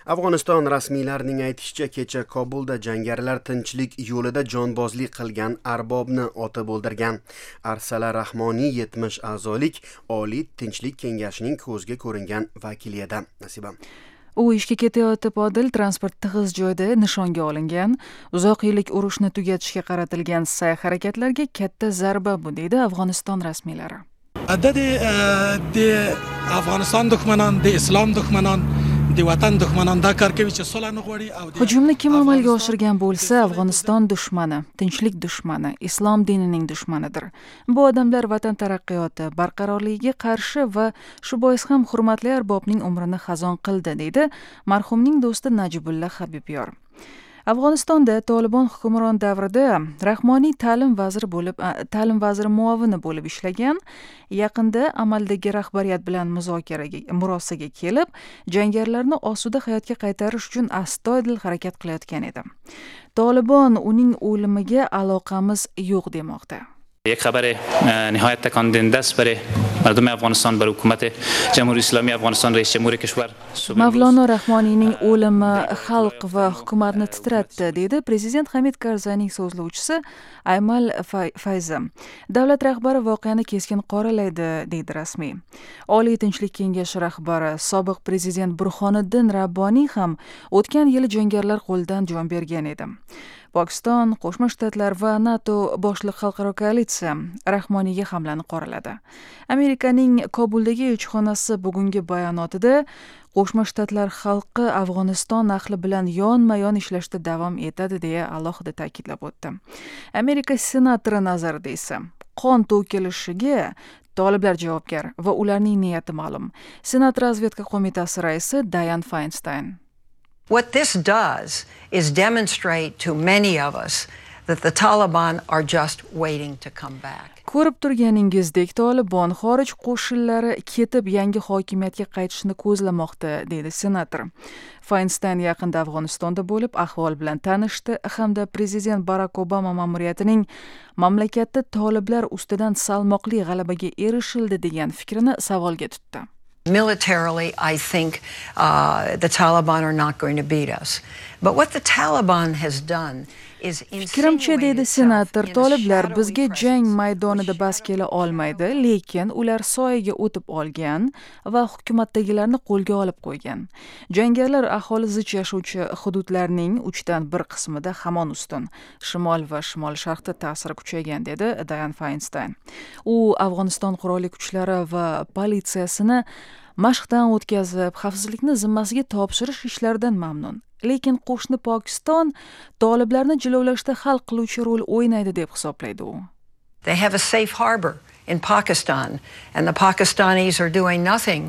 Afg'oniston rasmiylarining aytishicha, kecha Kobulda jangarilar tinchlik yo'lida jonbozlik qilgan arbobni otib o'ldirgan. Arsala Rahmoniy 70 a'zolik Oliy tinchlik kengashining ko'zga ko'ringan vakili edi. Nasiba. U ishga ketayotib, Odil, transport tig'iz joyda nishonga olingan. Uzoq yillik urushni tugatishga qaratilgan sa'y-harakatlarga katta zarba bu, deydi Afg'oniston rasmiylari. د افغانستان دښمنان، د اسلام دښمنان، د وطن دښمنان دا کار کوي چې صلح نه غواړي او Hujumni kim amalga oshirgan bo'lsa, Afg'oniston dushmani, tinchlik dushmani, islom dinining dushmanidir. Bu odamlar vatan taraqqiyoti, barqarorligiga qarshi va shu bois ham hurmatli arbobning umrini xazon qildi, deydi marhumning do'sti Najibulla Habibyor. Afg'onistonda Tolibon hukmron davrida Rahmoniy ta'lim vaziri muovini bo'lib ishlagan. Yaqinda amaldagi rahbariyat bilan muzokaraga, murosaga kelib, jangarilarni osuda hayotga qaytarish uchun astoydil harakat qilayotgan edi. Tolibon uning o'limiga aloqamiz yo'q demoqda. یک خبر نهایت تکان دهنده است برای مردم افغانستان، برای حکومت جمهوری اسلامی افغانستان، رئیس جمهور کشور. Mavlono Rahmoniyning o'limi xalq va hukumatni titratdi, deydi prezident Hamid Karzayning so'zlovchisi Aymal Fayzi. Davlat rahbari voqeani keskin qoralaydi, deydi rasmiy. Oliy tinchlik kengashi rahbari, sobiq prezident Burhoniddin Rabboniy ham o'tgan yili jangarilar qo'lidan jon bergan edi. Pokiston, Qo'shma Shtatlar va NATO boshliq xalqaro koalitsiya Rahmoniyga hamlani qoraladi. Amerikaning Kobuldagi elchixonasi bugungi bayonotida Qo'shma Shtatlar xalqi Afg'oniston ahli bilan yonma-yon ishlashda davom etadi, deya alohida ta'kidlab o'tdi. Amerika senatori nazarida esa qon to'kilishiga toliblar javobgar va ularning niyati ma'lum. Senat razvedka qo'mitasi raisi Dayan Feinstein. What this does is demonstrate to many of us that the Taliban are just waiting to come back. Ko'rib turganingizdek, Tolibon xorij qo'shinlari ketib yangi hokimiyatga qaytishni ko'zlamoqda, deydi senator. Feinstein yaqinda Afg'onistonda bo'lib, ahvol bilan tanishdi hamda prezident Barak Obama ma'muriyatining mamlakatda toliblar ustidan salmoqli g'alabaga erishildi degan fikrini savolga tutdi. Militarily, I think the Taliban are not going to beat us. But what the Taliban has done is Fikrimcha, deydi senator, toliblar bizga jang maydonida bas kela olmaydi, lekin ular soyaga o'tib olgan va hukumatdagilarni qo'lga olib qo'ygan. Jangarilar aholi zich yashovchi hududlarning 1/3 qismida hamon ustun. Shimol va shimol sharqda ta'siri kuchaygan, dedi Dayan Feinstein. U Afg'oniston qurolli kuchlari va politsiyasini mashqdan o'tkazib, xavfsizlikni zimmasiga topshirish ishlaridan mamnun. Lekin qo'shni Pokiston toliblarni jilovlashda hal qiluvchi rol o'ynaydi deb hisoblaydi u. They have a safe harbor in Pakistan, and the Pakistanis are doing nothing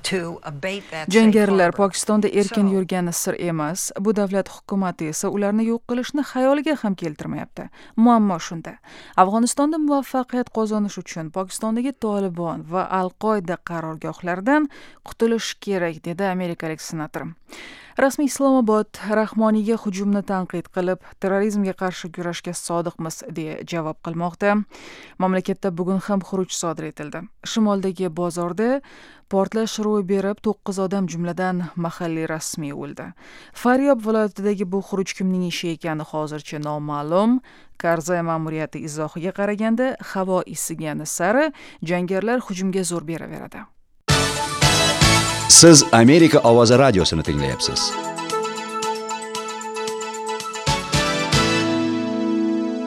to abate that safe Jangarilar harbor. Pokistonda erkin yurgani sir emas. Bu davlat hukumati esa ularni yo'q qilishni xayoliga ham keltirmayapti. Muammo shunda. Afg'onistonda muvaffaqiyat qozonish uchun Pokistondagi Tolibon va Al-Qoida qarorgohlaridan qutulish kerak, dedi amerikalik senator. Rasmiy Islomobod Rahmoniyga hujumni tanqid qilib, terrorizmga qarshi kurashga sodiqmiz, deya javob qilmoqda. Mamlakatda bugun ham xuruj sodir etildi. Shimoldagi bozorda portlash ro'y berib, 9 odam, jumladan mahalliy rasmiy o'ldi. Faryob viloyatidagi bu xuruj kimning ishi ekani hozircha noma'lum. Karzay ma'muriyati izohiga qaraganda, havo isigani sari jangarilar hujumga zo'r beraveradi. Siz Amerika ovozi radiosini tinglayapsiz.